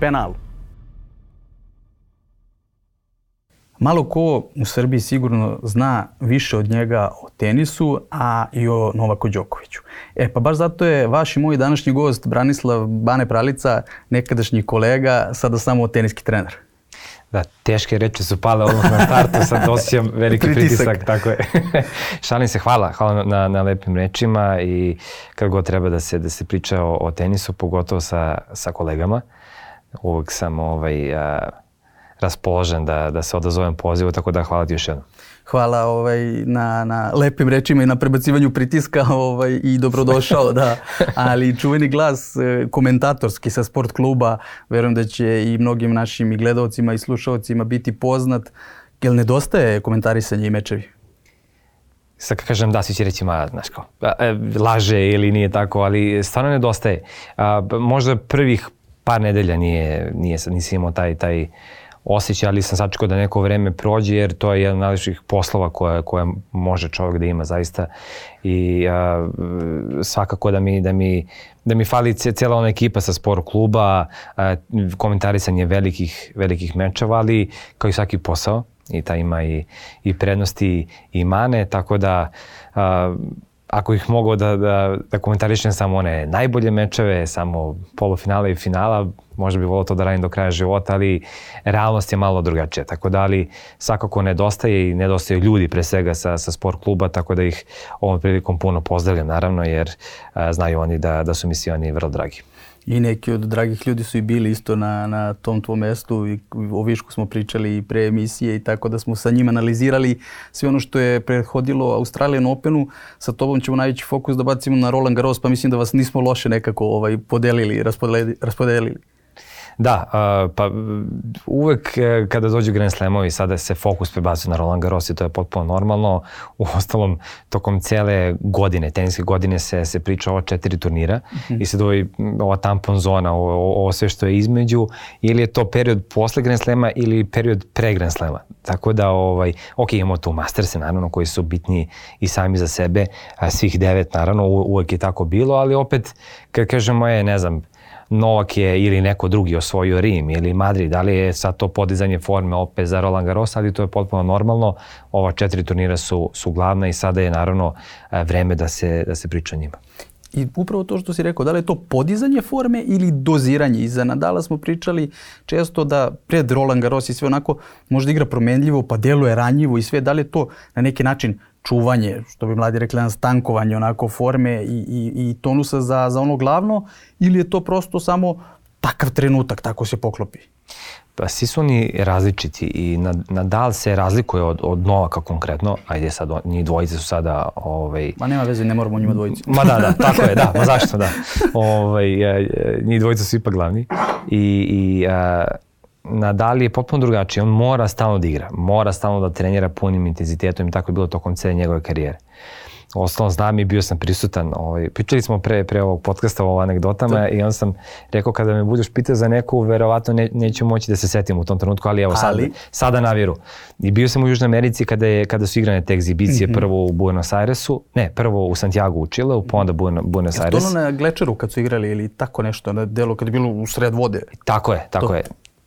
penalu. Malo ko u Srbiji sigurno zna više od njega o tenisu, a i o Novaku Đokoviću. Pa baš zato je vaš i moj današnji gost Branislav Bane Pralica, nekadašnji kolega, sada samo teniski trener. Da, teške reči su pale odmah na startu, sad osjećam veliki pritisak, tako je. Šalim se, hvala na lepim rečima i kad god treba da se priča o tenisu, pogotovo sa kolegama, uvek sam raspoložen da se odazovem pozivu, tako da hvala ti još jednom. Hvala na lepim rečima i na prebacivanju pritiska i dobrodošao, da. Ali čuveni glas komentatorski sa sport kluba, verujem da će i mnogim našim i gledalcima i slušalcima biti poznat. Jel nedostaje komentarisanje i mečevi? Sad kad kažem da, svi će reći, znaš kao, laže ili nije tako, ali stvarno nedostaje. Možda prvih par nedelja nisam imao taj osjećaj, ali sam sačekao da neko vreme prođe, jer to je jedan od najljepših poslova koje može čovjek da ima zaista. I svakako da mi fali cijela ona ekipa sa sport kluba, komentarisanje velikih mečeva, ali kao i svaki posao, i taj ima i prednosti i mane, tako da ako ih mogu da komentarišem samo one najbolje mečeve, samo polufinale i finala, možda bi volio to da radim do kraja života, ali realnost je malo drugačija. Tako da, ali svakako nedostaju ljudi pre svega sa sport kluba, tako da ih ovom prilikom puno pozdravljam, naravno, jer znaju oni da su mi svi oni vrlo dragi. I neki od dragih ljudi su i bili isto na tom tvom mestu i o višku smo pričali i pre emisije i tako da smo sa njima analizirali sve ono što je prethodilo Australian Openu. Sa tobom ćemo najveći fokus da bacimo na Roland Garros, pa mislim da vas nismo loše nekako podelili, raspodelili. Da, pa uvek kada dođu Grand Slamovi sada se fokus prebacuje na Roland Garros i to je potpuno normalno. Uostalom, tokom cele godine, teniske godine se priča o 4 turnira i se doji ova tampon zona, ovo sve što je između, ili je to period posle Grand Slama ili period pre Grand Slama. Tako da, imamo tu Masterse, naravno, koji su bitni i sami za sebe, svih 9, naravno, uvek je tako bilo, ali opet, kad kažemo ne znam, Novak je ili neko drugi osvojio Rim ili Madrid, da li je sad to podizanje forme opet za Roland Garros, ali to je potpuno normalno. Ova 4 turnira su glavna i sada je naravno vreme da se priča o njima. I upravo to što si rekao, da li je to podizanje forme ili doziranje? Iza Nadala smo pričali često da pred Roland Garros i sve onako možda igra promenljivo, pa deluje ranjivo i sve. Da li je to na neki način čuvanje, što bi mladi rekli, stankovanje onako forme i tonusa za ono glavno, ili je to prosto samo takav trenutak, tako se poklopi? Pa svi su oni različiti i Nadal se razlikuje od Novaka konkretno, ajde sad, njih dvojice su sada... Ma nema veze, ne moramo njima dvojice. Ma da, tako je, da, ma zašto da. Njih dvojice su ipak glavni i Nadal je potpuno drugačiji, on mora stalno da igra, mora stalno da trenira punim intenzitetom i tako je bilo tokom cele njegove karijere. Ostalom znam i bio sam prisutan, pričali smo pre ovog podcasta o anegdotama i on sam rekao kada me budeš pitao za neku, verovatno neću moći da se setim u tom trenutku, ali evo sada naviru. I bio sam u Južnoj Americi kada su igrane te egzibicije, prvo u Buenos Airesu, prvo u Santiago u Čileu, pa onda Buenos Aires. Je to na Glečeru kad su igrali ili tako nešto, na delu kad je bilo u sred vode? Tako je.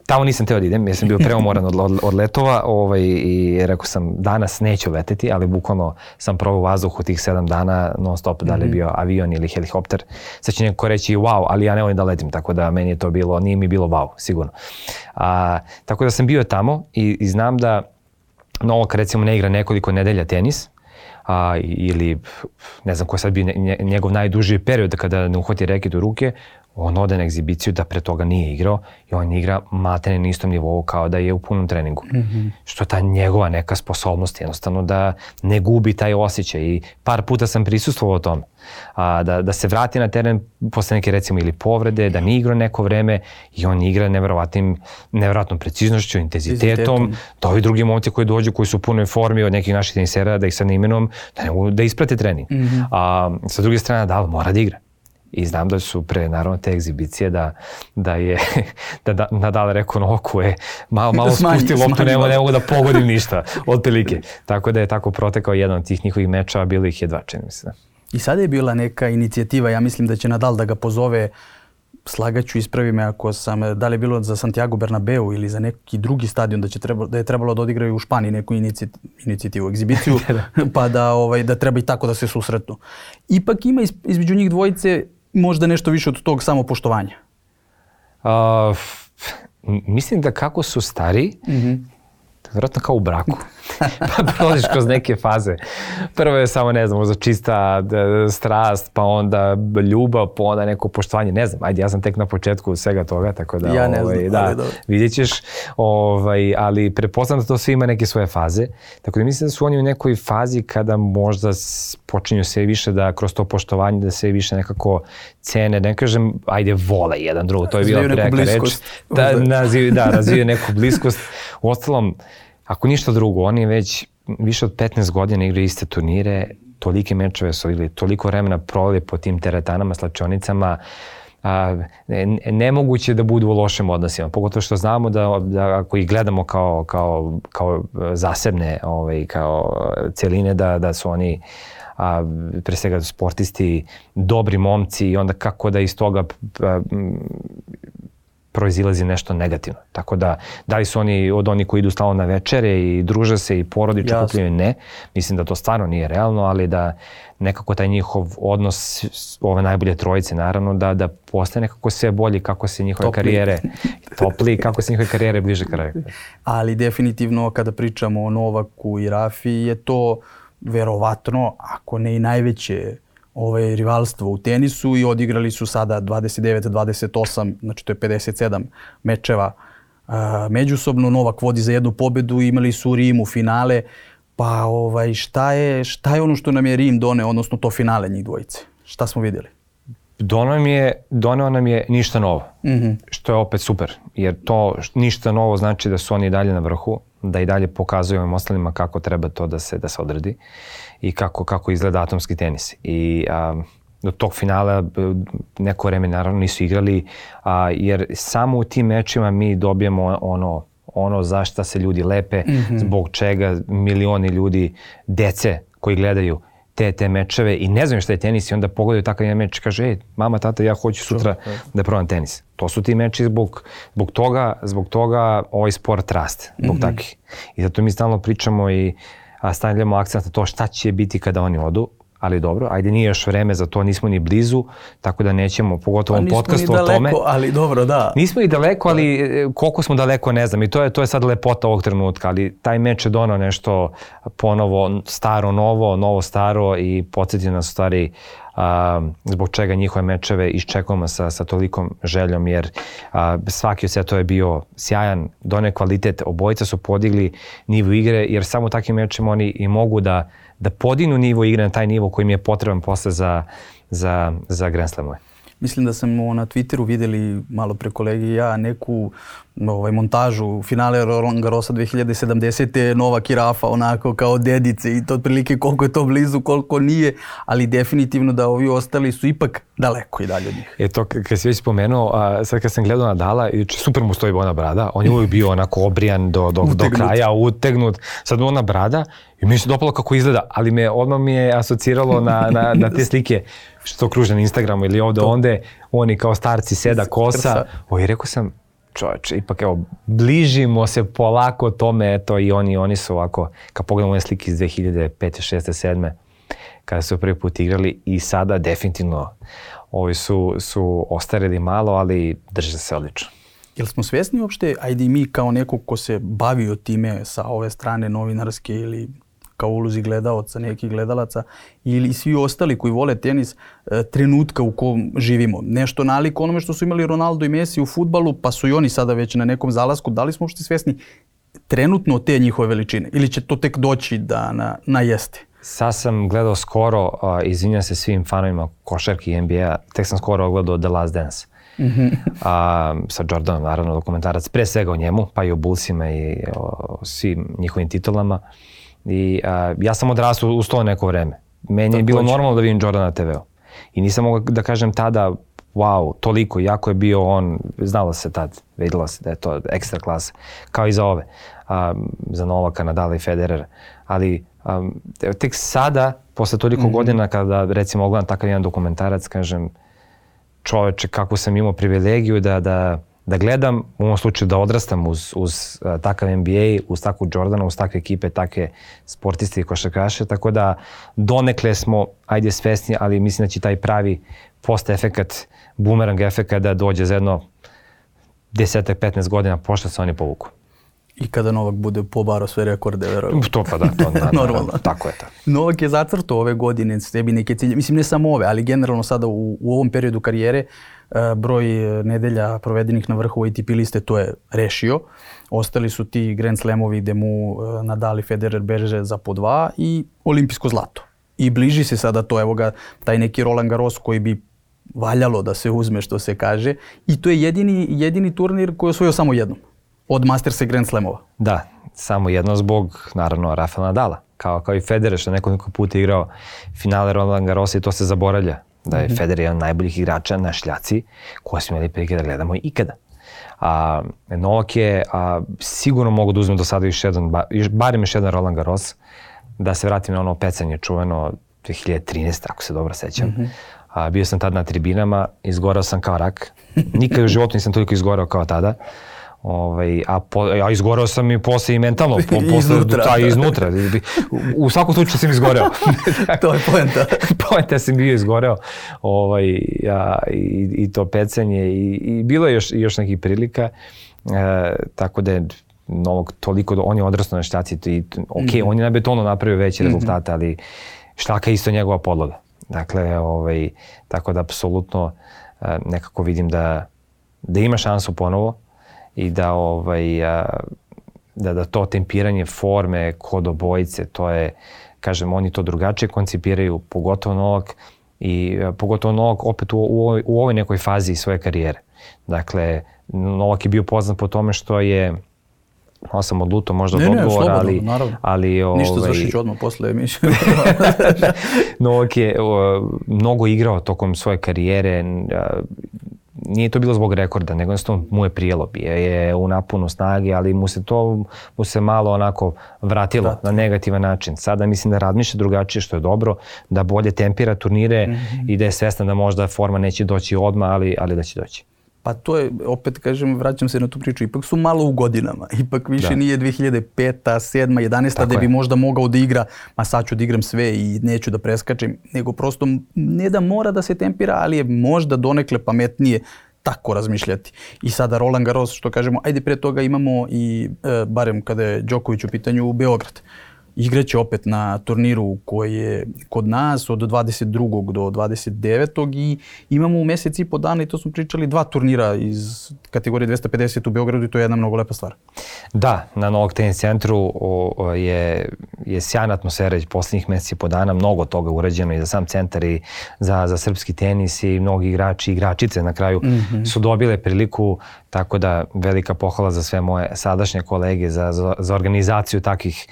Tamo nisam teo da idem, jer sam bio preumoran od letova i rekao sam danas neću leteti, ali bukvalno sam probao vazduh u tih 7 dana non stop, da li je bio avion ili helikopter. Sad će neko reći wow, ali ja ne volim da letim, tako da meni je to bilo, nije mi bilo wow, sigurno. Tako da sam bio tamo i znam da Novak recimo ne igra nekoliko nedelja tenis, ili ne znam ko je sad bio njegov najduži period kada ne uhvati reket u ruke, on ode na egzibiciju da pre toga nije igrao i on igra maltene na istom nivou kao da je u punom treningu. Što je ta njegova neka sposobnost jednostavno da ne gubi taj osjećaj i par puta sam prisustvovao tome. Da se vrati na teren posle neke recimo ili povrede, da nije igrao neko vreme i on igra neverovatnom preciznošću, intenzitetom, da ovi drugi momci koji dođu, koji su u punoj formi od nekih naših tenisera, da ih sad ne imenujem, da ne mogu da isprate trening. Sa druge strane, Nadal mora da igra. I znam da su pre, naravno, te egzibicije da je Nadal rekao Novaku malo spusti loptu, ne mogu da pogodim ništa, otprilike. Tako da je tako protekao jedan od tih njihovih mečeva, bilo ih je 2, čini mi se. I sada je bila neka inicijativa, ja mislim da će Nadal da ga pozove slagaću, ispravi me ako sam, da li je bilo za Santiago Bernabeu ili za neki drugi stadion da je trebalo da odigraju u Španiji neku inicijativu, egzibiciju, pa da treba i tako da se susretnu. Ipak ima između njih dvojice možda nešto više od tog samopoštovanja. Mislim da kako su stari, vjerojatno kao u braku. Pa prolaziš kroz neke faze. Prvo je samo, ne znam, možda čista strast, pa onda ljubav, pa onda neko poštovanje. Ne znam, ajde, ja sam tek na početku svega toga, tako da, ja ne znam, da, vidjet ćeš. Ali pretpostavljam da to sve ima neke svoje faze. Tako da mislim da su oni u nekoj fazi kada možda počinju sve više da kroz to poštovanje, da sve više nekako cene, ne kažem, ajde, vole jedan drugog, to je bila preka reč. Razviju neku bliskost. Uostalom, ako ništa drugo, oni već više od 15 godina igraju iste turnire, tolike mečeve su ili toliko vremena proveli po tim teretanama, slačionicama, nemoguće da budu u lošim odnosima. Pogotovo što znamo da ako ih gledamo kao zasebne, kao celine, da su oni pre svega sportisti, dobri momci i onda kako da iz toga proizilazi nešto negativno. Tako da li su oni od onih koji idu stalno na večere i druže se i porodično okupljaju? Ne. Mislim da to stvarno nije realno, ali da nekako taj njihov odnos, ove najbolje trojice naravno, da postane nekako sve bolji kako se njihove karijere topli, kako se njihove karijere bliže kraju. Ali definitivno kada pričamo o Novaku i Rafi je to verovatno, ako ne i najveće rivalstvo u tenisu i odigrali su sada 29-28, znači to je 57 mečeva međusobno. Novak vodi za jednu pobedu, imali su u Rimu finale, pa šta je ono što nam je Rim doneo, odnosno to finale njih dvojice? Šta smo vidjeli? Doneo nam je ništa novo, što je opet super, jer to ništa novo znači da su oni dalje na vrhu, da i dalje pokazuju ovim ostalima kako treba to da se odradi i kako izgleda atomski tenis. I do tog finala neko vreme naravno nisu igrali, jer samo u tim mečima mi dobijemo ono za šta se ljudi lepe, zbog čega milioni ljudi, dece koji gledaju te mečeve i ne znaju šta je tenis i onda pogledaju takav jedan meč i kaže, mama, tata, ja hoću sutra da probam tenis. To su ti meči zbog toga ovaj sport raste, zbog takvih. I zato mi stalno pričamo i stavljamo akcent na to šta će biti kada oni odu, ali dobro, ajde, nije još vreme za to, nismo ni blizu, tako da nećemo, pogotovo u ovom podcastu o tome. Nismo ni daleko, ali dobro, da. Nismo ni daleko, ali koliko smo daleko, ne znam, i to je sad lepota ovog trenutka, ali taj meč je donao nešto ponovo, staro, novo, staro i podsjetio nas u stvari zbog čega njihove mečeve iščekujemo sa tolikom željom, jer svaki od setova je bio sjajan, doneo kvalitet, obojica su podigli nivo igre, jer samo takvim mečem oni i mogu da podignu nivo igre na taj nivo koji im je potreban posle za Grand Slamove. Mislim da smo na Twitteru vidjeli malo pre kolegi i ja neku montažu finale Roland Garrosa 2070. Novak i Rafa onako kao dedice i to otprilike koliko je to blizu, koliko nije, ali definitivno da ovi ostali su ipak daleko i dalje od njih. To kad si već spomenuo, sad kad sam gledao Nadala, super mu stoji ona brada, on je uvijek bio onako obrijan do kraja, utegnut, sad ona brada i mi se dopalo kako izgleda, ali odmah mi je asociralo na te slike što kruže na Instagramu ili ovde onde, oni kao starci, seda, kosa. I rekao sam, čovječe, ipak evo, bližimo se polako tome, eto, i oni su ovako, kad pogledamo one slike iz 2005. 6. 7. kada su prvi put igrali i sada definitivno ovi su ostarili malo, ali drže se odlično. Jel smo svjesni uopšte, ajde i mi kao neko ko se bavio time sa ove strane novinarske ili kao ulozi gledaoca, nekih gledalaca ili svi ostali koji vole tenis, trenutka u kom živimo. Nešto nalik onome što su imali Ronaldo i Messi u fudbalu, pa su i oni sada već na nekom zalasku. Da li smo uopšte svjesni trenutno te njihove veličine ili će to tek doći da na jeste? Sad sam gledao skoro, izvinjam se svim fanovima košarke i NBA, tek sam skoro ogledao The Last Dance. Sa Jordanom, naravno, dokumentarac, pre svega o njemu, pa i o Bullsima i o svim njihovim titulama. I ja sam odrastao uz to neko vreme. Meni je bilo normalno da vidim Jordana na TV-u. I nisam mogao da kažem tada, wow, toliko, jako je bio on, znalo se tad, vidjelo se da je to ekstra klasa, kao i za ove, za Novaka, Nadala i Federer. Ali tek sada, posle toliko godina, kada recimo ogledam takav jedan dokumentarac, kažem, čoveče, kako sam imao privilegiju da gledam, u ovom slučaju da odrastam uz takav NBA, uz takvu Jordana, uz takve ekipe, takve sportiste i košarkaše, tako da donekle smo, ajde, svesni, ali mislim da će taj pravi post-efekat, bumerang efekat da dođe za jedno 10-15 godina pošto se oni povuku. I kada Novak bude pobarao sve rekorde, verujem. To pa da, to normalno. Tako je to. Novak je zacrtao ove godine sebi neke cilje, mislim ne samo ove, ali generalno sada u ovom periodu karijere broj nedelja provedenih na vrhu ATP liste to je rešio. Ostali su ti Grand Slamovi gde mu Nadal i Federer beže za po 2 i olimpijsko zlato. I bliži se sada to, evo ga, taj neki Roland Garros koji bi valjalo da se uzme, što se kaže. I to je jedini turnir koji je osvojio samo jednom. Od Mastersa i Grand Slamova. Da, samo jedno zbog, naravno, Rafaela Nadala. Kao i Federer što nekoliko puta igrao finale Roland Garrosa i to se zaboravlja. Da je Federer jedan od najboljih igrača na šljaci koje smo imali prilike da gledamo ikada. Novak je sigurno mogu da uzme do sada barem još jedan Roland Garros, da se vratim na ono pecanje čuveno 2013, ako se dobro sećam. Bio sam tad na tribinama, izgorao sam kao rak. Nikad u životu nisam toliko izgorao kao tada. A izgoreo sam i posle i mentalno. Iznutra. U svakom slučaju sam izgoreo. To je poenta. Poenta sam bio izgoreo. I to pecanje. I bilo je još nekih prilika. Tako da je Novak toliko, on je odrastao na šljaci. On je na betonu napravio veće rezultate, ali šljaka je isto njegova podloga. Dakle, tako da apsolutno nekako vidim da ima šansu ponovo i da to tempiranje forme kod obojice, to je, kažem, oni to drugačije koncipiraju, pogotovo Novak opet u ovoj nekoj fazi svoje karijere. Dakle, Novak je bio poznat po tome što je, malo sam odlutao možda od odgovora, ali ništa završit ću odmah posle emisije. Novak je mnogo igrao tokom svoje karijere, nije to bilo zbog rekorda, nego jednostavno mu je prijelo, bio je u naponu snage, ali mu se malo onako vratilo na negativan način. Sada mislim da razmišlja drugačije, što je dobro, da bolje tempira turnire i da je svestan da možda forma neće doći odmah, ali da će doći. Pa to je, opet kažem, vraćam se na tu priču, ipak su malo u godinama, ipak više nije 2005, 7, 11, da bi možda mogao da igra, ma sad ću da igram sve i neću da preskačem, nego prosto ne da mora da se tempira, ali je možda donekle pametnije tako razmišljati. I sada Roland Garros, što kažemo, ajde pre toga imamo i, barem kada je Đoković u pitanju, Beograd. Igraće opet na turniru koji je kod nas od 22. do 29. i imamo u mesec i po dana, i to smo pričali, 2 turnira iz kategorije 250 u Beogradu i to je jedna mnogo lepa stvar. Da, na Novak tenis centru je sjajna atmosfera posljednjih meseci i po dana, mnogo toga urađeno i za sam centar i za srpski tenis i mnogi igrači i igračice na kraju su dobile priliku, tako da velika pohvala za sve moje sadašnje kolege za organizaciju takvih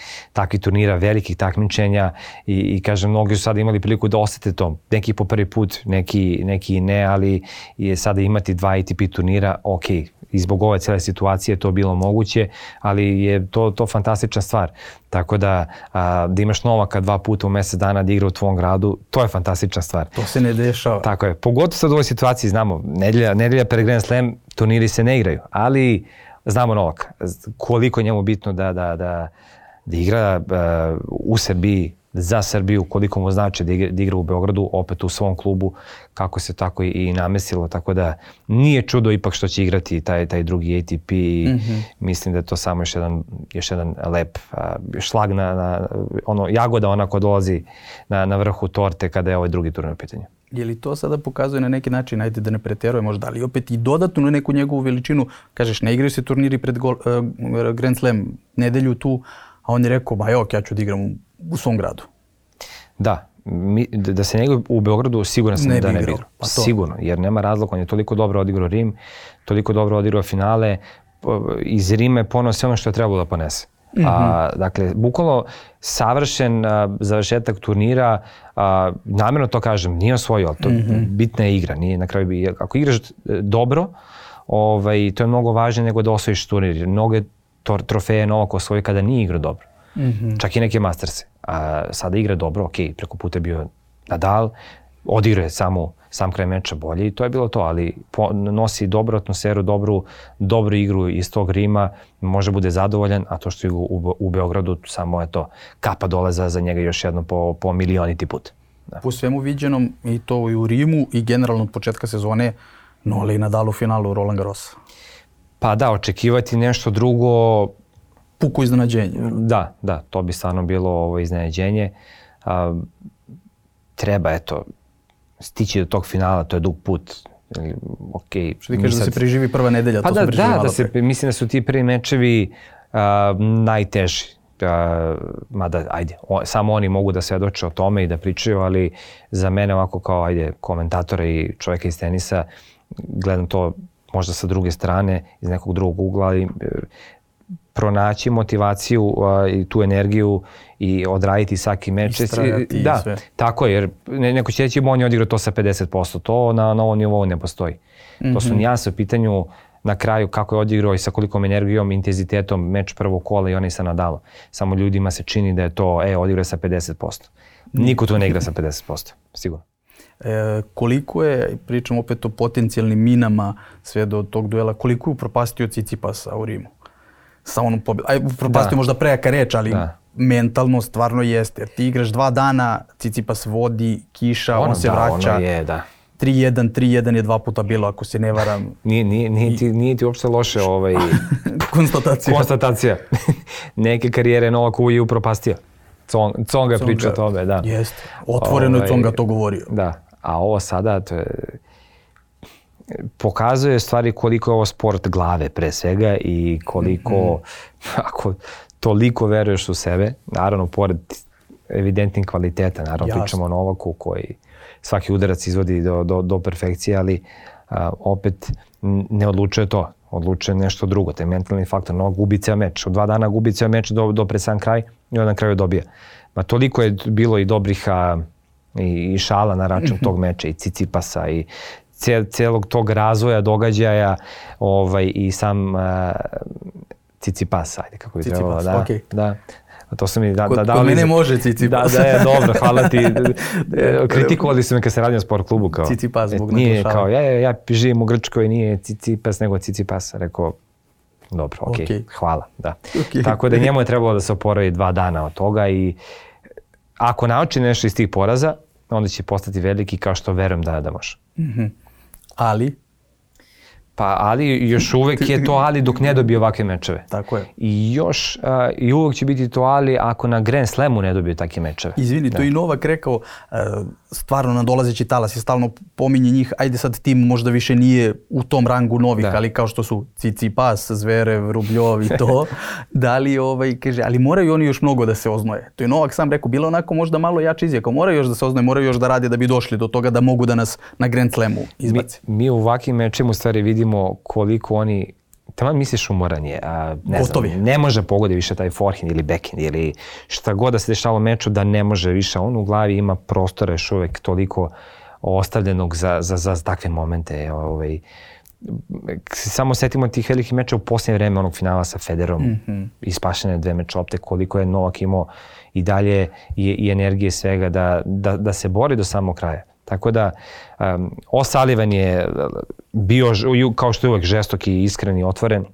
turnira, velikih takmičenja i kažem, mnogi su sada imali priliku da osete to. Neki po prvi put, neki ne, ali je sada imati 2 ATP turnira, ok, i zbog ove cijele situacije to bilo moguće, ali je to fantastična stvar. Tako da imaš Novaka 2 puta u mjesec dana da igra u tvom gradu, to je fantastična stvar. To se ne dešava. Tako je. Pogotovo sad u ovoj situaciji, znamo, nedelja pred Grand Slam, turniri se ne igraju, ali znamo Novaka, koliko je njemu bitno da igra u Srbiji, za Srbiju, koliko mu znači da igra u Beogradu, opet u svom klubu, kako se tako i namestilo, tako da nije čudo ipak što će igrati taj drugi ATP i mislim da je to samo još jedan lep šlag jagoda onako dolazi na vrhu torte kada je ovaj drugi turnir u pitanju. Je li to sada pokazuje na neki način, ajde da ne preteruje možda, ali opet i dodatno na neku njegovu veličinu, kažeš, ne igraju se turniri pred Grand Slam nedelju tu, a on je rekao, ja ću da igram u svom gradu. Da, da se ne igra u Beogradu, siguran sam da ne bi igrao. Sigurno, jer nema razloga, on je toliko dobro odigrao Rim, toliko dobro odigrao finale, iz Rima je poneo sve ono što je trebalo da ponese. Dakle, bukvalno savršen završetak turnira, namjerno to kažem, nije osvojio, ali to bitna je igra. Na kraju, ako igraš dobro, to je mnogo važnije nego da osvojiš turnir. Mnoge trofeje Novak osvoji kada nije igrao dobro. Čak i neke Masterse. Sada igra dobro, ok, preko puta je bio Nadal, odigrao je sam kraj meča bolji i to je bilo to, ali nosi dobru atmosferu, dobru igru iz tog Rima, može bude zadovoljan, a to što je u Beogradu samo je to kapa dole za njega još jedno po milioniti put. Da. Po svemu viđenom i to i u Rimu i generalno od početka sezone Nole i Nadal u finalu Roland Garrosa. Pa da, očekivati nešto drugo... Puko iznenađenje. Da, to bi stvarno bilo iznenađenje. Treba, stići do tog finala, to je dug put. Okay, što ti kažeš da se preživi prva nedelja, pa to smo preživali malo pre. Mislim da su ti prvi mečevi najteži. Mada, samo oni mogu da svedoče o tome i da pričaju, ali za mene ovako kao, komentatora i čovjeka iz tenisa, gledam to možda sa druge strane, iz nekog drugog ugla, ali pronaći motivaciju i tu energiju i odraditi svaki meč. Istrajati da, sve. Tako je, jer neko će reći on je odigrao to sa 50%, to na ovom nivou ne postoji. To su nijanse u pitanju na kraju kako je odigrao i sa kolikom energijom, intenzitetom meč prvog kola i onaj sa Nadalom. Samo ljudima se čini da je to, odigrao sa 50%. Niko tu ne igra sa 50%, sigurno. Koliko je, pričam opet o potencijalnim minama sve do tog duela, koliko je upropastio Tsitsipasa u Rimu? Sa onom pobjedom. Upropastio možda prejaka reč, ali mentalno stvarno jeste. Jer ti igraš 2 dana, Tsitsipas vodi, kiša, on se vraća. Ono je, da. 3-1 je 2 puta bilo, ako se ne varam. Nije ti uopšte loše konstatacija. Neke karijere Novaku je upropastio. Tsonga priča o tome, da. Jeste. Otvoreno je Tsonga to govorio. Da, a ovo sada pokazuje stvari koliko je ovo sport glave pre svega i koliko, ako toliko veruješ u sebe, naravno pored evidentnih kvaliteta, naravno pričamo o Novaku koji svaki udarac izvodi do perfekcije, ali opet ne odlučuje to, odlučuje nešto drugo, taj mentalni faktor. Novak gubi ceo meč, u 2 dana gubi ceo meč do pred sam kraj i onda na kraju dobija. Toliko je bilo i dobrih i šala na račun tog meča i Tsitsipasa i celog tog razvoja događaja i sam Tsitsipas, kako bi trebalo, da. Da. To su mi kod mene može Tsitsipas. Da, dobro, hvala ti. Kritikovali su me kad se radim u sport klubu. Tsitsipas zbog naglašava. Kao, ja živim u Grčkoj, nije Tsitsipas nego Tsitsipas. Rekao, dobro, okej, hvala. Da. Tako da njemu je trebalo da se oporavi 2 dana od toga i ako nauči nešto iz tih poraza, onda će postati veliki kao što verujem da može. Ali? Ali još uvek je to ali dok ne dobije ovakve mečeve. Tako je. I uvek će biti to ali ako na Grand Slamu ne dobije takve mečeve. Izvini, to i Novak rekao, stvarno nadolazeći talas je stalno pominje njih, ajde sad tim možda više nije u tom rangu novih, ali kao što su Tsitsipas, Zverev, Rubljov i to, da li kaže, ali moraju oni još mnogo da se oznoje. To je Novak sam rekao, bilo onako možda malo jače izjaka, moraju još da se oznoje, moraju još da rade da bi došli do toga da mogu da nas na Grand Slamu izbaci. Mi u ovakvim mečima u stvari vidimo koliko oni, taman misliš umoran je, ne može pogodi više taj forehand ili backhand ili šta god da se dešava u meču da ne može više, on u glavi ima prostora još uvek toliko ostavljenog za takve momente. Samo setimo tih velikih meča u posljednje vreme onog finala sa Federerom, ispašene 2 meč lopte, koliko je Novak imao i dalje i energije svega da se bori do samog kraja. Tako da, O'Sullivan je bio, kao što je uvek, žestok i iskren i otvoren,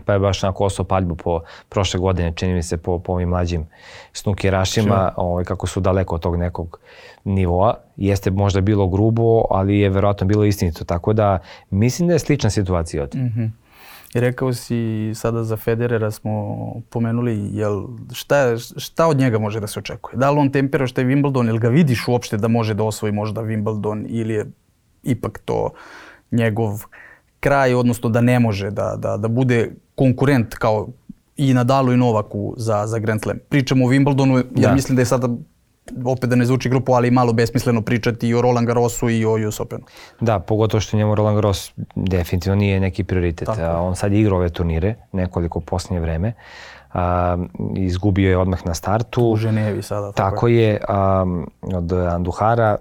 pa je baš onako osao paljbu po prošle godine, čini mi se po ovim mlađim snukerašima, kako su daleko od tog nekog nivoa. Jeste možda bilo grubo, ali je verovatno bilo istinito, tako da mislim da je slična situacija od. I rekao si sada za Federera smo pomenuli, šta od njega može da se očekuje? Da li on tempera što je Wimbledon, ili ga vidiš uopšte da može da osvoji možda Wimbledon ili je ipak to njegov kraj, odnosno da ne može da bude konkurent kao i Nadalu i Novaku za Grand Slam. Pričamo o Wimbledonu, jer mislim da je sada, opet da ne zvuči grupo, ali malo besmisleno pričati i o Roland Garrosu i o US Openu. Da, pogotovo što njemu Roland Garros definitivno nije neki prioritet. On sad igra ove turnire, nekoliko posljednje vreme. Izgubio je odmah na startu. U Ženevi sada. Tako je, od Anduhara,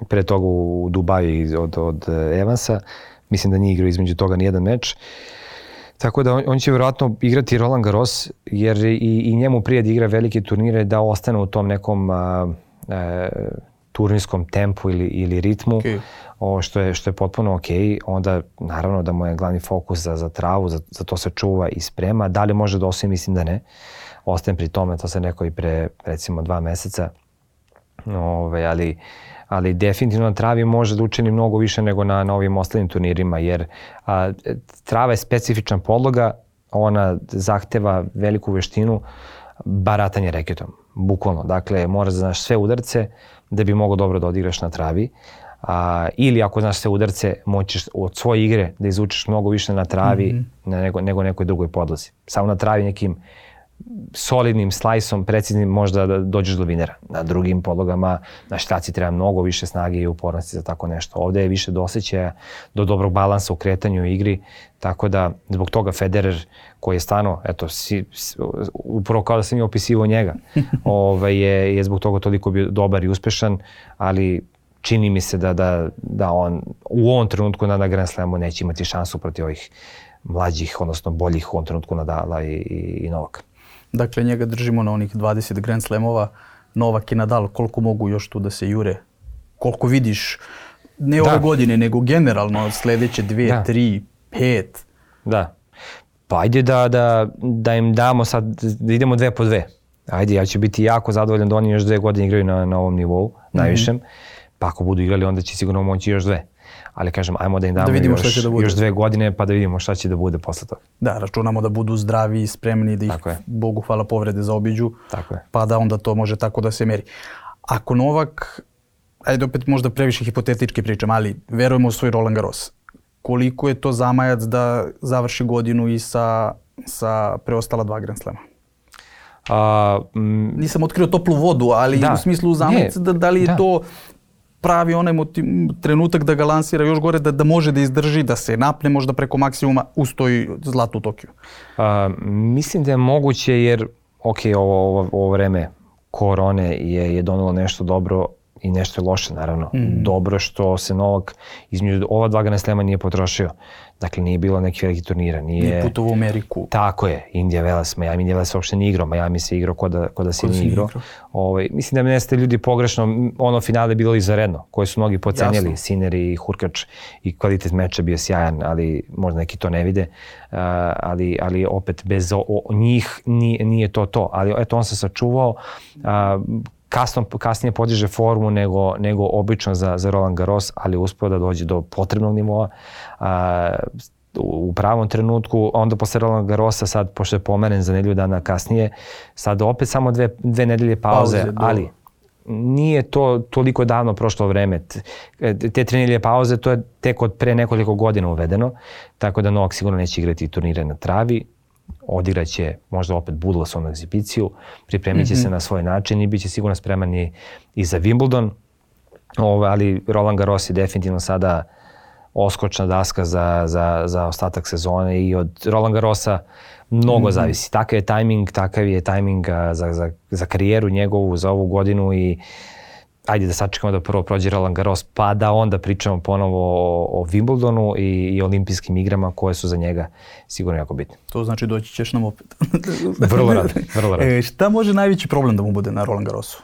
pre toga u Dubaju od Evansa. Mislim da nije igrao između toga nijedan meč. Tako da on će vjerojatno igrati Roland Garros, jer i njemu prije da igra velike turnire da ostane u tom nekom turnirskom tempu ili ritmu, što je potpuno ok. Onda naravno da mu je glavni fokus za travu, za to se čuva i sprema. Da li može da osvoji? Mislim da ne. Ostajem pri tome, to sam rekao i pre recimo 2 meseca. Ali definitivno na travi može da učini mnogo više nego na ovim ostalim turnirima, jer trava je specifična podloga, ona zahteva veliku veštinu, baratanje reketom, bukvalno. Dakle, moraš da znaš sve udarce da bi mogao dobro da odigraš na travi. Ili ako znaš sve udarce, moćeš od svoje igre da izvučeš mnogo više na travi nego nekoj drugoj podlozi. Samo na travi nekim solidnim slajsom, preciznim, možda da dođeš do vinera. Na drugim podlogama, na štaci treba mnogo više snage i upornosti za tako nešto. Ovde je više do osjećaja, do dobrog balansa u kretanju i igri, tako da zbog toga Federer, koji je stvarno, eto, upravo kao da sam je opisivao njega, je zbog toga toliko bio dobar i uspešan, ali čini mi se da on u ovom trenutku na Grand Slamu neće imati šansu protiv ovih mlađih, odnosno boljih u ovom trenutku Nadala i Novaka. Dakle, njega držimo na onih 20 Grand Slamova. Novak i Nadal, koliko mogu još tu da se jure? Koliko vidiš, ne ove godine, nego generalno sljedeće 2, 3, 5? Da. Pa ajde da im damo sad, da idemo 2 po 2. Ajde, ja ću biti jako zadovoljan da oni još 2 godine igraju na ovom nivou, najvišem. Pa ako budu igrali, onda će sigurno moći još 2. Ali kažem, ajmo da im damo još 2 godine pa da vidimo šta će da bude posle toga. Da, računamo da budu zdravi i spremni, da ih, Bogu hvala, povrede zaobiđu, pa da onda to može tako da se meri. Ako Novak, ajde opet možda previše hipotetički pričam, ali verujemo u svoj Roland Garros. Koliko je to zamajac da završi godinu i sa preostala 2 Grand Slama? Nisam otkrio toplu vodu, ali u smislu zamajac, da li je to pravi onaj trenutak da ga lansira još gore, da može da izdrži, da se napne možda preko maksimuma, ustoji zlato u Tokiju? Mislim da je moguće, jer ovo vreme korone je donelo nešto dobro i nešto je loše, naravno. Dobro što se Novak između ova 2 Grand Slema nije potrošio. Dakle, nije bilo nekih velikih turnira. Nije putovao u Ameriku. Tako je. Indija Velas, Miami Velas uopšte nije igrao. Miami se igrao ko da se nije igrao. Mislim da me neste ljudi pogrešno. Ono finale je bilo izvanredno, koje su mnogi pocenjali. Sinner i Hurkač, i kvalitet meča bio sjajan, ali možda neki to ne vide. Ali opet bez njih nije to. Ali eto, on se sačuvao. Kasnije podiže formu nego obično za Roland Garros, ali uspeo da dođe do potrebnog nivoa u pravom trenutku. Onda posle Roland Garrosa, sad pošto je pomeren za nedelju dana kasnije, sad opet samo 2 nedelje pauze, ali nije to toliko davno prošlo vreme. Te 3 nedelje pauze, to je tek od pre nekoliko godina uvedeno, tako da Novak sigurno neće igrati turnire na travi. Odigraće možda opet Budlasovnu egzibiciju, pripremit će se na svoj način i bit će sigurno spreman i za Wimbledon, ali Roland Garros je definitivno sada oskočna daska za ostatak sezone i od Roland Garrosa mnogo zavisi. Takav je tajming za karijeru njegovu, za ovu godinu i ajde da sačekamo da prvo prođe Roland Garros, pa da onda pričamo ponovo o Wimbledonu i olimpijskim igrama koje su za njega sigurno jako bitne. To znači doći ćeš nam opet. Vrlo rado. Šta može najveći problem da mu bude na Roland Garrosu?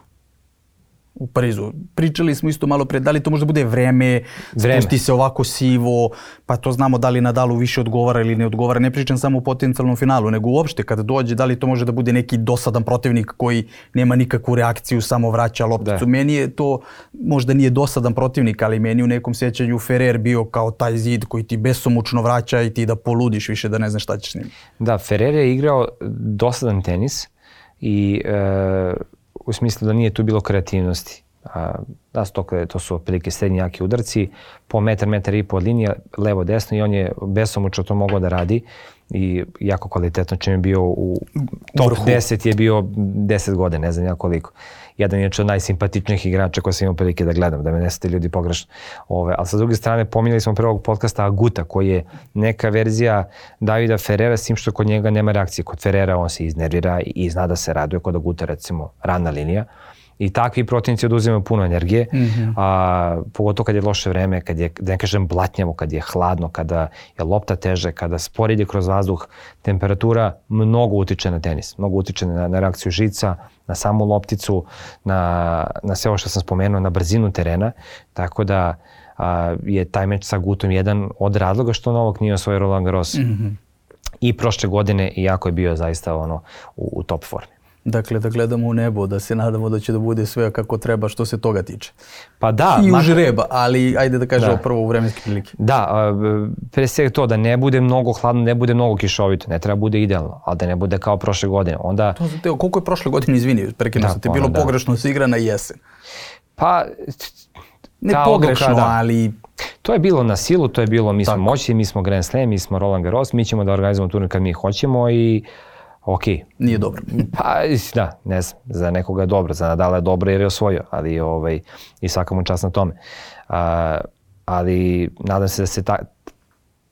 U Parizu. Pričali smo isto malo pre, da li to možda bude vreme, spusti se ovako sivo, pa to znamo da li Nadalu više odgovara ili ne odgovara. Ne pričam samo u potencijalnom finalu, nego uopšte kada dođe, da li to može da bude neki dosadan protivnik koji nema nikakvu reakciju, samo vraća lopticu. Meni je to, možda nije dosadan protivnik, ali meni u nekom sjećanju Ferrer bio kao taj zid koji ti besomučno vraća i ti da poludiš više, da ne znaš šta ćeš s njim. Da, Ferrer je igrao dosadan tenis i u smislu da nije tu bilo kreativnosti. To su otprilike srednji jaki udarci, po metar i po od linije, levo desno, i on je besomučno to mogao da radi i jako kvalitetno. Čim je bio u top 10 je bio 10 godina, ne znam ja koliko. Jedan je od najsimpatičnijih igrača koje sam imao prilike da gledam, da me ne ste ljudi pogrešno. Ali sa druge strane, pominjali smo pre ovog podcasta Aguta, koji je neka verzija Davida Ferrera, s tim što kod njega nema reakcije. Kod Ferrera on se iznervira i zna da se raduje, kod Aguta recimo rana linija. I takvi protivnici oduzimaju puno energije, pogotovo kad je loše vreme, kad je, da ne kažem, blatnjavo, kad je hladno, kada je lopta teže, kada spor ide kroz vazduh, temperatura mnogo utiče na tenis, mnogo utiče na reakciju žica, na samu lopticu, na sve ovo što sam spomenuo, na brzinu terena, tako da je taj meč sa Gutom jedan od razloga što Novak nije osvojio Roland Garros i prošle godine, iako je bio zaista u top formi. Dakle, da gledamo u nebo, da se nadamo da će da bude sve kako treba što se toga tiče. Pa da. I u žreba, ali ajde da kažemo prvo u vremenske prilike. Da, pre svega to da ne bude mnogo hladno, ne bude mnogo kišovito, ne treba bude idealno, ali da ne bude kao prošle godine. Onda... Koliko je prošle godine, izvini, prekinuo sam te, bilo pogrešno se igra na jesen? Pa... Ne pogrešno, ali... To je bilo na silu, to je bilo mi smo moćni, mi smo Grand Slam, mi smo Roland Garros, mi ćemo da organizujemo turnir kad mi hoćemo i okej. Nije dobro. Pa da, ne znam, za nekoga je dobro, za Nadala je dobro jer je osvojio, ali i svaka mu čast na tome. Ali nadam se da se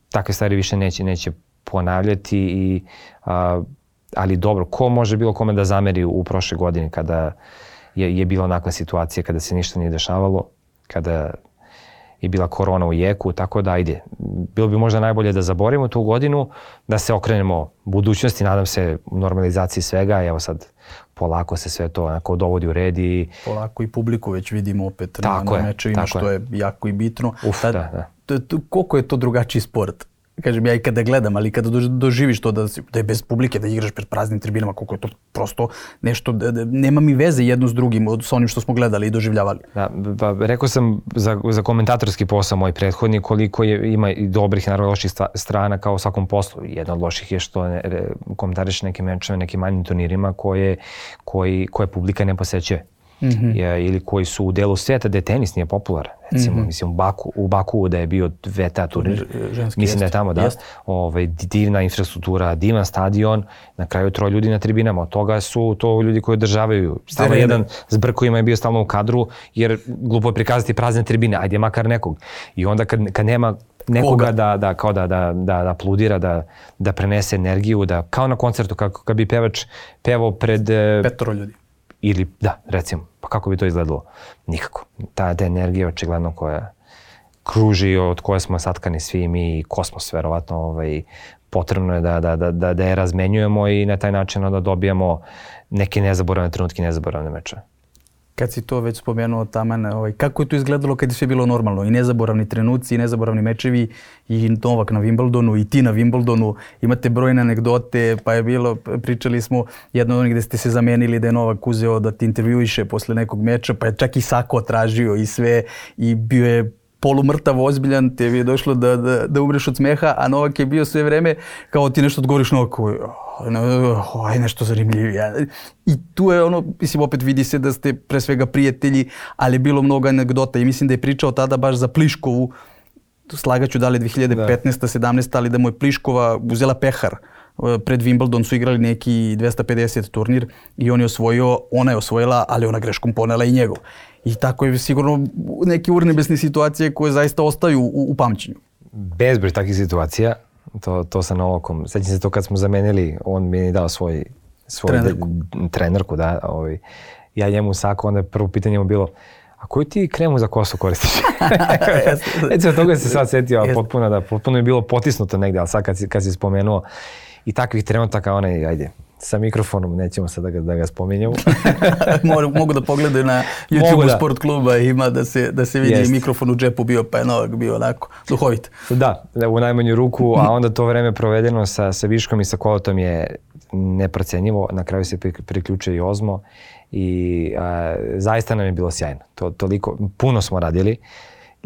takve stvari više neće ponavljati, ali dobro, ko može bilo kome da zameri u prošle godini kada je bila onakva situacija, kada se ništa nije dešavalo, kada je bila korona u jeku, tako da ajde. Bilo bi možda najbolje da zaborimo tu godinu, da se okrenemo budućnosti, nadam se normalizaciji svega, evo sad polako se sve to onako dovodi u red i... Polako i publiku već vidimo opet na mečevima, što je jako i bitno. Koliko je to drugačiji sport? Kažem, ja i kada gledam, ali kada doživiš to da je bez publike, da igraš pred praznim tribinama, koliko je to prosto nešto, nema mi veze jedno s drugim, sa onim što smo gledali i doživljavali. Da, pa rekao sam za komentatorski posao moj prethodnik koliko ima i dobrih, naravno loših strana kao u svakom poslu. Jedna od loših je što komentariš neke mečeve, nekim manjim turnirima koje publika ne posećuje. Ili koji su u delu svijeta gde tenis nije popularan. Recimo, mislim, u Baku da je bio VTA turnir, mislim da je tamo, da, divna infrastruktura, divan stadion, na kraju 3 ljudi na tribinama, od toga su to ljudi koji održavaju. Stalno jedan s brkovima je bio stalno u kadru, jer glupo je prikazati prazne tribine, ajde makar nekog. I onda kad nema nekoga da apludira, da prenese energiju, da kao na koncertu, kad bi pevač pevao pred... 5 ljudi. Ili, da, recimo, pa kako bi to izgledalo? Nikako. Ta energija očigledno koja kruži, od koje smo satkani svi mi i kosmos, verovatno, potrebno je da je razmenjujemo i na taj način da dobijamo neke nezaboravne trenutke, nezaboravne mečeve. Kad si to već spomenuo, Taman, kako je to izgledalo kad je sve bilo normalno? I nezaboravni trenuci, i nezaboravni mečevi, i Novak na Wimbledonu, i ti na Wimbledonu. Imate brojne anegdote, pa je bilo, pričali smo jedno od onih gde ste se zamenili da je Novak uzeo da ti intervjuiše posle nekog meča, pa je čak i sako tražio i sve, i bio je polumrtav, ozbiljan, te je došlo da umreš od smeha, a Novak je bio sve vreme kao ti nešto odgovoriš Novaku, aj nešto zanimljivije. I tu je mislim, opet vidi se da ste pre svega prijatelji, ali je bilo mnogo anegdota i mislim da je pričao tada baš za Pliškovu, slagaću da li 2015. 17. ali da mu je Pliškova uzela pehar. Pred Wimbledon su igrali neki 250 turnir i on je osvojio, ona je osvojila, ali ona greškom ponela i njegov. I tako je sigurno neke urnebesne situacije koje zaista ostaju u pamćenju. Bezbroj takvih situacija, to sa Novakom. Sjećam se to kad smo zamenili, on mi je dao svoju trenerku, da. Ja njemu sako, onda prvo pitanje mu bilo, a koju ti kremu za kosu koristiš? Recimo, toga se sad setio, potpuno je bilo potisnuto negde, ali sad kad si spomenuo i takvih trenutaka, ajde, sa mikrofonom, nećemo sad da ga spominjemo. Mogu da pogledaju na YouTube Sport kluba, ima da se vidi mikrofon u džepu bio, pa je Novak bio onako duhovit. Da, u najmanju ruku, a onda to vreme provedeno sa Viškom i sa Kolotom je neprocenjivo. Na kraju se priključio i Ozmo i zaista nam je bilo sjajno. Toliko, puno smo radili.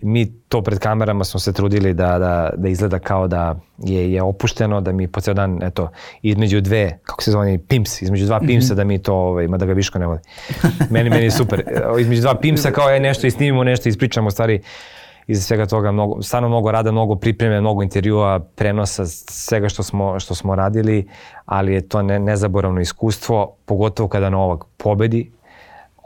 Mi to pred kamerama smo se trudili da izgleda kao da je opušteno, da mi po ceo dan, eto, između dve, kako se zove, pimps, između dva pimpsa da mi to, mada ga Viško ne voli. Meni je super. Između dva pimpsa kao nešto i snimimo nešto, ispričamo stvari iza svega toga, stvarno mnogo rada, mnogo pripreme, mnogo intervjua, prenosa, svega što smo radili, ali je to nezaboravno iskustvo, pogotovo kada Novak pobedi.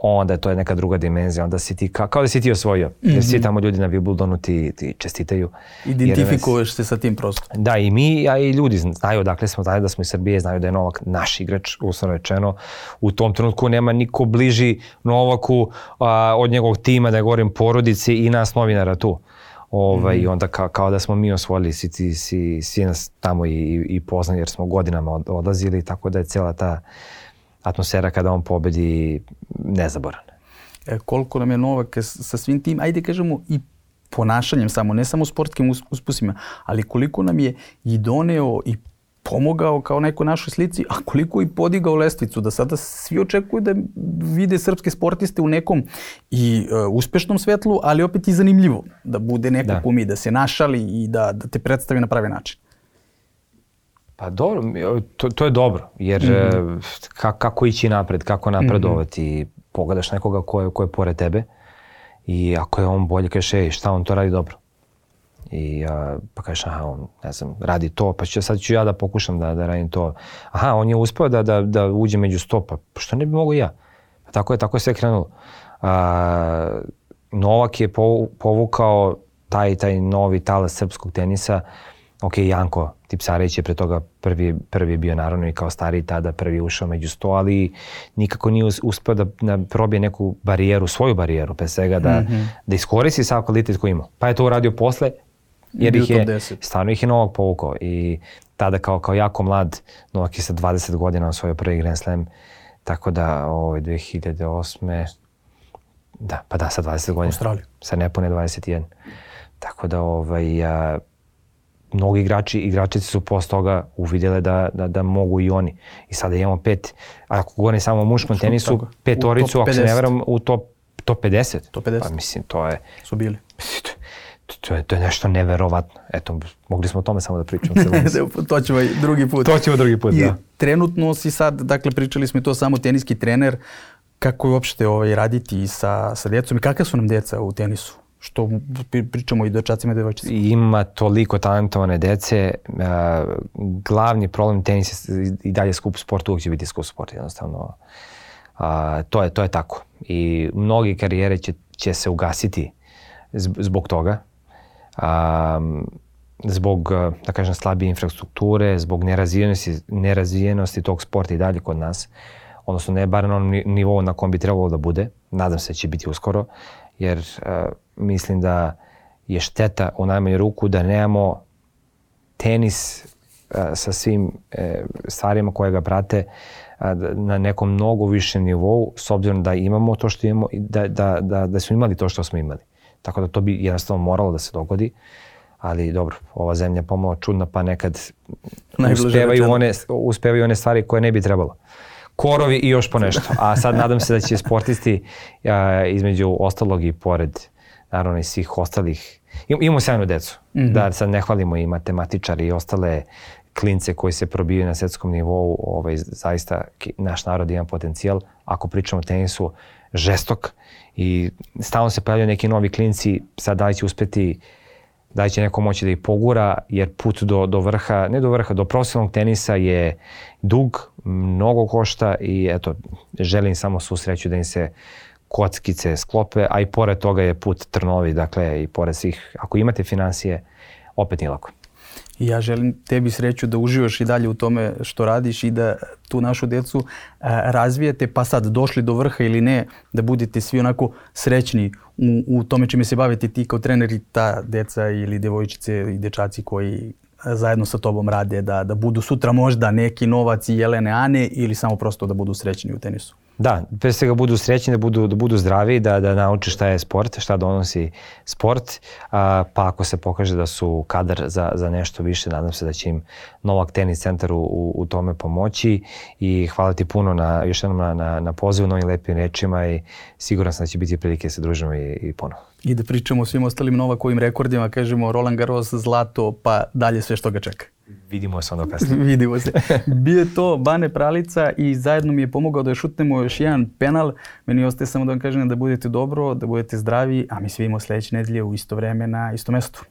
onda to je neka druga dimenzija, onda si ti kao da si ti osvojio. Jer svi tamo ljudi na Wimbledonu ti čestitaju. Identifikuješ se sa tim prostorom. Da, i mi, a i ljudi znaju odakle smo, znaju da smo iz Srbije, znaju da je Novak naš igrač, uslovno rečeno. U tom trenutku nema niko bliži Novaku od njegovog tima, da govorim porodici i nas novinara tu. I onda kao da smo mi osvojili, svi nas tamo i poznali jer smo godinama odlazili, tako da je cijela ta atmosfera kada on pobedi nezaboravna. Koliko nam je Novak sa svim tim, ajde kažemo i ponašanjem samo, ne samo sportskim uspusima, ali koliko nam je i doneo i pomogao kao nekoj našoj slici, a koliko i podigao lestvicu, da sada svi očekuju da vide srpske sportiste u nekom i uspešnom svetlu, ali opet i zanimljivo, da bude neko kumi, da se našali i da te predstavi na pravi način. Pa dobro, to je dobro, jer kako ići napred, kako napredovati, pogledaš nekoga ko je pored tebe i ako je on bolje, kažeš, šta on to radi dobro. I pa kažeš, on, ne znam, radi to, pa sad ću ja da pokušam da radim to. On je uspeo da uđe među 100, pa što ne bi mogo ja? Pa tako je sve krenulo. Novak je povukao taj novi talas srpskog tenisa. Ok, Janko Tipsarević je pre toga prvi bio naravno i kao stariji tada prvi ušao među 100, ali nikako nije uspeo da probije neku barijeru, svoju barijeru, pre svega da iskoristi sav kvalitet koji ima. Pa je to uradio posle, jer stvarno ih je Novak povukao i tada kao jako mlad, Novak je sa 20 godina osvojio prvi Grand Slam, tako da 2008. Sa 20 godina. Australiju. Sa nepune 21. Tako da mnogi igračici su posle toga uvidjele da mogu i oni. I sada imamo 5, ako govorim samo o muškom tenisu, petoricu, ako se ne veram, u top 50. Top 50. Pa mislim, to je... Su bili. To je nešto neverovatno. Eto, mogli smo o tome samo da pričamo. To ćemo drugi put. Da. Trenutno si sad, dakle, pričali smo i to samo teniski trener, kako je uopšte raditi sa djecom i kakve su nam djeca u tenisu? Što pričamo i dečacima i devojčicima. Ima toliko talentovane dece. Glavni problem tenisa i dalje skup sport, uvijek će biti skup sport. Jednostavno, to je tako. I mnogi karijere će se ugasiti zbog toga. Zbog, da kažem, slabije infrastrukture, zbog nerazvijenosti tog sporta i dalje kod nas. Odnosno, ne bar na onom nivou na kom bi trebalo da bude. Nadam se da će biti uskoro. Jer mislim da je šteta u najmanju ruku da nemamo tenis sa svim stvarima koje ga prate na nekom mnogo višem nivou, s obzirom da imamo to što imamo, da smo imali to što smo imali. Tako da to bi jednostavno moralo da se dogodi. Ali dobro, ova zemlja je pomalo čudna, pa nekad uspevaju one stvari koje ne bi trebalo. Korovi i još po nešto. A sad nadam se da će sportisti između ostalog i pored naravno i svih ostalih. Imamo sjajnu decu. Da sad ne hvalimo i matematičari i ostale klince koji se probijaju na svetskom nivou. Zaista naš narod ima potencijal. Ako pričamo o tenisu, žestok. I stalno se pojavljaju neki novi klinci. Sad da li će uspeti, da li će neko moći da ih pogura, jer put do vrha, ne do vrha, do profesionalnog tenisa je dug, mnogo košta i eto, želim samo svu sreću da im se kockice sklope, a i pored toga je put trnovi, dakle i pored svih, ako imate financije, opet nije lako. I ja želim tebi sreću da uživaš i dalje u tome što radiš i da tu našu djecu razvijete, pa sad došli do vrha ili ne, da budete svi onako srećni u tome čime se bavite ti kao trener i ta djeca ili djevojčice i dječaci koji zajedno sa tobom rade, da budu sutra možda neki Novac i Jelene Ane ili samo prosto da budu srećni u tenisu. Da, pre svega budu srećni, da budu zdravi, da nauče šta je sport, šta donosi sport, pa ako se pokaže da su kadar za nešto više, nadam se da će im Novak tenis centar u tome pomoći i hvala ti puno još jednom na pozivu, novim lepim rečima i siguran sam da će biti prilike da se družimo i ponovo. I da pričamo o svim ostalim Novakovim rekordima, kažemo Roland Garros, zlato, pa dalje sve što ga čeka. Vidimo se onda kasnije. Vidimo se. Bio je to Bane Pralica i zajedno mi je pomogao da šutnemo još jedan penal. Meni ostaje samo da vam kažem da budete dobro, da budete zdravi, a mi se vidimo sljedeće nedelje u isto vreme na istom mestu.